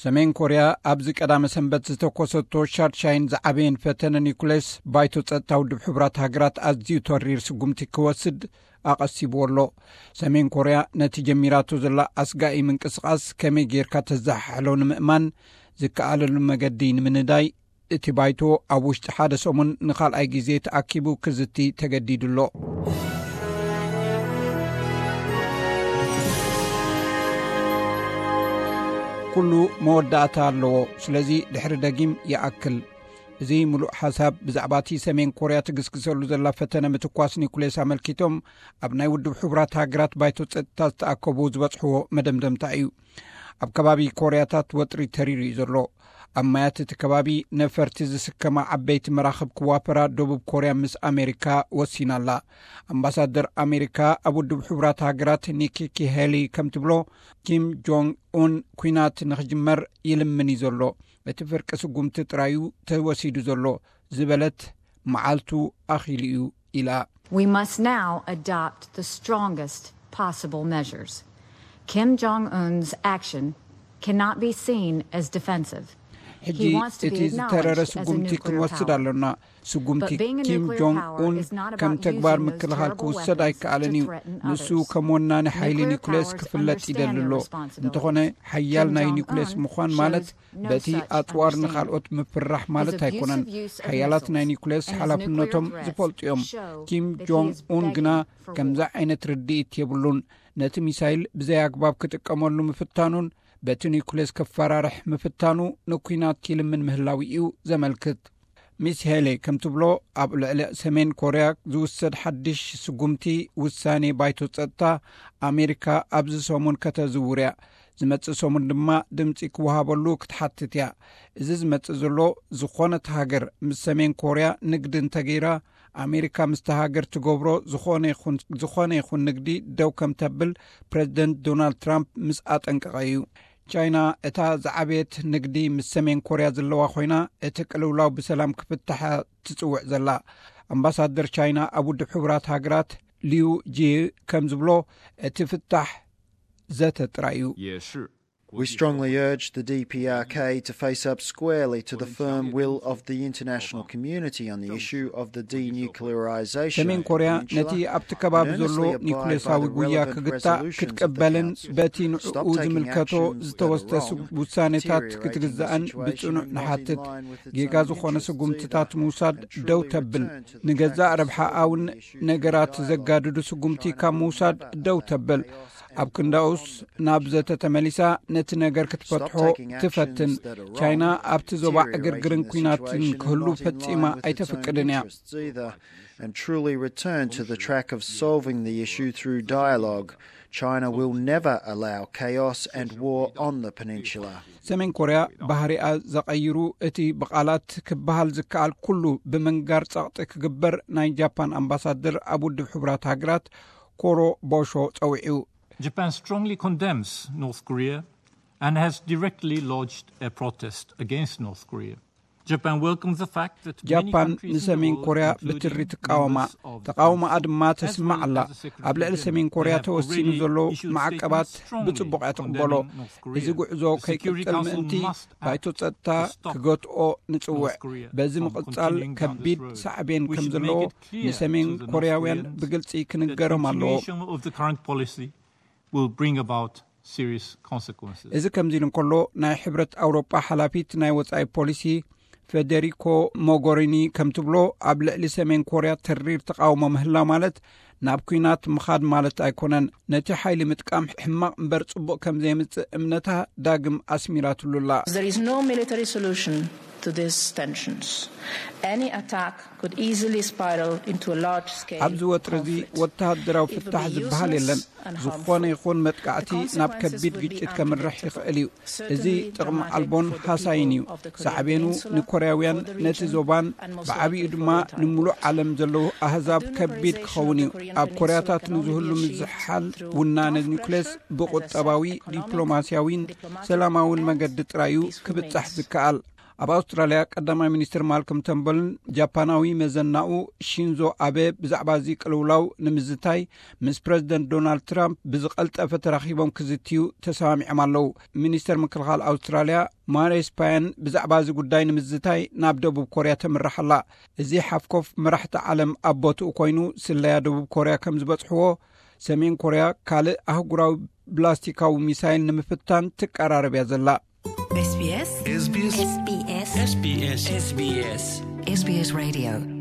ሰሜን ኮርያ ኣብዚ ቀዳመ ሰንበት ዝተኮሰቶ ሻድሻይን ዝዓበየን ፈተነ ኒኩሌስ፣ ባይቶ ጸጥታ ውድብ ሕቡራት ሃገራት ኣዝዩ ተሪር ስጉምቲ ክወስድ ኣቐሲብዎ ኣሎ። ሰሜን ኮርያ ነቲ ጀሚራቶ ዘላ ኣስጋኢ ምንቅስቓስ ከመይ ጌርካ ተዘሓሕሎ ንምእማን ዝከኣለሉ መገዲ ንምንዳይ፣ እቲ ባይቶ ኣብ ውሽጢ ሓደ ሰሙን ንኻልኣይ ግዜ ተኣኪቡ ክዝቲ ተገዲዱ ኣሎ። ኩሉ መወዳእታ ኣለዎ። ስለዚ ድሕሪ ደጊም ይኣክል። እዚ ምሉእ ሓሳብ ብዛዕባ እቲ ሰሜን ኮርያ ትግስግሰሉ ዘላ ፈተነ ምትኳስ ኒኩሌስ ኣመልኪቶም ኣብ ናይ ውድብ ሕቡራት ሃገራት ባይቶ ጸጥታ ዝተኣከቡ ዝበጽሕዎ መደምደምታ እዩ። ኣብ ከባቢ ኮርያታት ወጥሪ ተሪሩ እዩ ዘሎ። ኣብ ማያት እቲ ከባቢ ነፈርቲ ዝስከማ ዓበይቲ መራኽብ ክዋፈራ ደቡብ ኮርያ ምስ ኣሜሪካ ወሲና ኣላ። ኣምባሳደር ኣሜሪካ ኣብ ውድብ ሕቡራት ሃገራት ኒኪ ሄሊ ከም ትብሎ፣ ኪም ጆንግ ኡን ኲናት ንኽጅመር ይልምን እዩ ዘሎ። እቲ ፍርቂ ስጉምቲ ጥራዩ ተወሲዱ ዘሎ ዝበለት፣ መዓልቱ ኣኺሉ እዩ ኢላ። We must now adopt the strongest possible measures. Kim Jong Un's action cannot be seen as defensive. ሕጂ እቲ ዝተረረ ስጉምቲ ክንወስድ ኣሎና። ስጉምቲ ኪም ጆንግ ኡን ከም ተግባር ምክልኻል ክውሰድ ኣይከኣልን እዩ። ንሱ ከም ወናኒ ሓይሊ ኒኩሌስ ክፍለጥ ይደሊ ኣሎ። እንተኾነ ሓያል ናይ ኒኩሌስ ምዃን ማለት በቲ ኣጽዋር ንኻልኦት ምፍራሕ ማለት ኣይኮነን። ሓያላት ናይ ኒኩሌስ ሓላፍነቶም ዝፈልጡ እዮም። ኪም ጆንግ ኡን ግና ከምዚ ዓይነት ርድኢት የብሉን። ነቲ ሚሳይል ብዘይ ኣግባብ ክጥቀመሉ ምፍታኑን በቲ ኒኩሌስ ክፈራርሕ ምፍታኑ ንኲናት ኪልምን ምህላዊ እዩ ዘመልክት። ሚስ ሄሌ ከም ትብሎ፣ ኣብ ልዕሊ ሰሜን ኮርያ ዝውሰድ ሓድሽ ስጉምቲ ውሳኔ ባይቶ ጸጥታ ኣሜሪካ ኣብዚ ሰሙን ከተዝውር እያ። ዝመጽእ ሰሙን ድማ ድምጺ ክወሃበሉ ክትሓትት እያ። እዚ ዝመጽእ ዘሎ፣ ዝኾነት ሃገር ምስ ሰሜን ኮርያ ንግዲ እንተገይራ፣ ኣሜሪካ ምስቲ ሃገር ትገብሮ ዝኾነ ይኹን፣ ዝኾነ ይኹን ንግዲ ደው ከም ተብል ፕሬዚደንት ዶናልድ ትራምፕ ምስ ኣጠንቀቐ እዩ። ቻይና እታ ዝዓበየት ንግዲ ምስ ሰሜን ኮርያ ዘለዋ ኮይና፣ እቲ ቅልውላው ብሰላም ክፍታሕ ትጽውዕ ዘላ። ኣምባሳደር ቻይና ኣብ ውድብ ሕቡራት ሃገራት ሊዩ ጂ ከም ዝብሎ፣ እቲ ፍታሕ ዘተ ጥራይ እዩ። We strongly urge the D P R K to face up squarely to the firm will of the international community on the issue of the denuclearization. ሰሜን ኮርያ ነቲ ኣብቲ ከባቢ ዘሎ ኒኩሌሳዊ ጉያ ክግታእ ክትቀበልን በቲ ንዕኡ ዝምልከቶ ዝተወስደ ውሳኔታት ክትግዛእን ብጽኑዕ ንሓትት። ጌጋ ዝኾነ ስጉምትታት ምውሳድ ደው ተብል። ንገዛእ ረብሓኣውን ነገራት ዘጋድዱ ስጉምቲ ካብ ምውሳድ ደው ተብል። ኣብ ክንዳኡስ ናብ ዘተ ተመሊሳ ነቲ ነገር ክትፈትሖ ትፈትን። ቻይና ኣብቲ ዞባ ዕግርግርን ኲናትን ክህሉ ፈጺማ ኣይተፍቅድን እያ። And truly return to the track of solving the issue through dialogue. China will never allow chaos and war on the peninsula. ሰሜን ኮርያ ባህሪኣ ዘቐይሩ፣ እቲ ብቓላት ክበሃል ዝከኣል ኩሉ ብምንጋር ጸቕጢ ክግበር ናይ ጃፓን ኣምባሳደር ኣብ ውድብ ሕቡራት ሃገራት ኮሮ ቦሾ ጸዊዑ። Japan strongly condemns North Korea and has directly lodged a protest against North Korea. Japan welcomes the fact that many ጃፓን countries in the ንሰሜን world, ኮርያ including ብትሪ members ትቃወማ። of the ተቃውሞኣ Quad, ድማ as well ተስምዕ as ኣላ። the Secretary ኣብ ልዕሊ General, ሰሜን ኮርያ have ተወሲኑ already ዘሎ issued ማዕቀባት statements strongly ብጽቡቕ እያ ትቕበሎ። condemning North Korea. እዚ ጉዕዞ The Security ከይቅጽል Council ምእንቲ must act ባይቶ ጸጥታ to stop ክገትኦ ንጽውዕ። North Korea በዚ from ምቕጻል continuing down ከቢድ this road. ሳዕቤን We ከም should ዘለዎ make it clear ንሰሜን to the North ኮርያውያን Koreans ብግልጺ that ክንገሮም ኣለዎ። Continuation of the current policy will bring about serious consequences. እዚ ከምዚ ኢሉ እንከሎ፣ ናይ ሕብረት ኣውሮጳ ሓላፊት ናይ ወጻኢ ፖሊሲ ፌደሪኮ ሞጎሪኒ ከም ትብሎ፣ ኣብ ልዕሊ ሰሜን ኮርያ ተሪር ተቃውሞ ምህላው ማለት ናብ ኲናት ምኻድ ማለት ኣይኮነን። ነቲ ሓይሊ ምጥቃም ሕማቕ እምበር ጽቡቕ ከም ዘየምጽእ እምነታ ዳግም ኣስሚራትሉ ኣላ። There is no military solution to these tensions. Any attack could easily spiral into a large scale ኣብዚ ወጥሪ እዚ ወተሃደራዊ ፍታሕ ዝበሃል የለን። ዝኾነ ይኹን መጥቃዕቲ ናብ ከቢድ ግጭት ከምርሕ ይኽእል እዩ። እዚ ጥቕሚ ኣልቦን ሃሳይን እዩ። ሳዕቤኑ ንኮርያውያን፣ ነቲ ዞባን ብዓቢኡ ድማ ንምሉእ ዓለም ዘለዉ ኣህዛብ ከቢድ ክኸውን እዩ። ኣብ ኮርያታት ንዝህሉ ምዝሓል ውናነ ኒኩሌስ ብቁጠባዊ፣ ዲፕሎማስያዊን ሰላማውን መገዲ ጥራይ እዩ ክብጻሕ ዝከኣል። ኣብ ኣውስትራልያ ቀዳማይ ሚኒስትር ማልኮም ተምበልን ጃፓናዊ መዘናኡ ሺንዞ ኣበ ብዛዕባ እዚ ቅልውላው ንምዝታይ ምስ ፕረዚደንት ዶናልድ ትራምፕ ብዝቐልጠፈ ተራኺቦም ክዝትዩ ተሰማሚዖም ኣለዉ። ሚኒስተር ምክልኻል ኣውስትራልያ ማሬስ ፓያን ብዛዕባ እዚ ጉዳይ ንምዝታይ ናብ ደቡብ ኮርያ ተምርሕ ኣላ። እዚ ሓፍኮፍ መራሕቲ ዓለም ኣብ ቦትኡ ኮይኑ ስለያ ደቡብ ኮርያ ከም ዝበጽሕዎ፣ ሰሜን ኮርያ ካልእ ኣህጉራዊ ብላስቲካዊ ሚሳይል ንምፍታን ትቀራረብ እያ ዘላ። SBS SBS SBS SBS SBS Radio